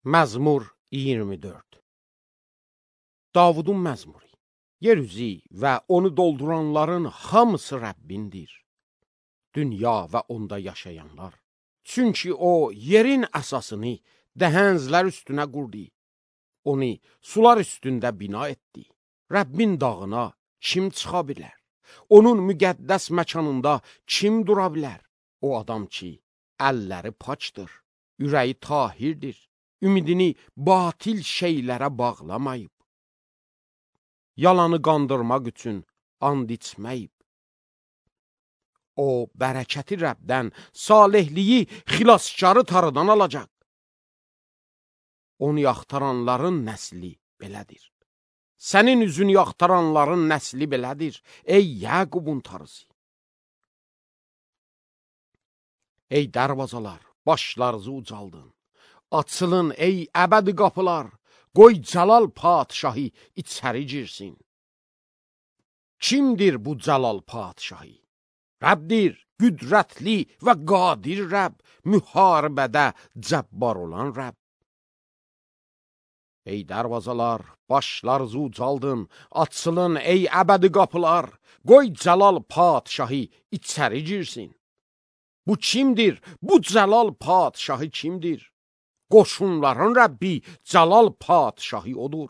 Məzmur 24. Davudun məzmuru. Yer üzü və onu dolduranların hamısı Rəbbindir. Dünya və onda yaşayanlar. Çünki o yerin əsasını dəhəzlər üstünə qurdu. Onu sular üstündə bina etdi. Rəbbin dağına kim çıxa bilər? Onun müqəddəs məkanında kim dura bilər? O adam ki, əlləri paçdır, ürəyi tahirdir, ümidini batil şeylərə bağlamayıb. Yalanı qandırmaq üçün and içməyib. O, bərəkəti Rəbdən, salihliyi xilaskarı tarıdan alacaq. Onu yaxtaranların nəsli belədir. Sənin üzünü yaxtaranların nəsli belədir, ey Yaqubun tarısı. Ey dərvazalar, başlarınızı ucaldın. Açılın, ey əbədi qapılar, qoy Cəlal padişahı içəri girsin. Kimdir bu Cəlal padişahı? Rəbdir, qüdrətli və qadir Rəbb, müharibədə cəbbar olan Rəbb. Ey dərvazalar, başlarınızı ucaldın, açılın, ey əbədi qapılar, qoy Cəlal padişahı içəri girsin. Bu kimdir? Bu Cəlal padişahı kimdir? Qoşunların Rəbbi Cəlal padişahı odur.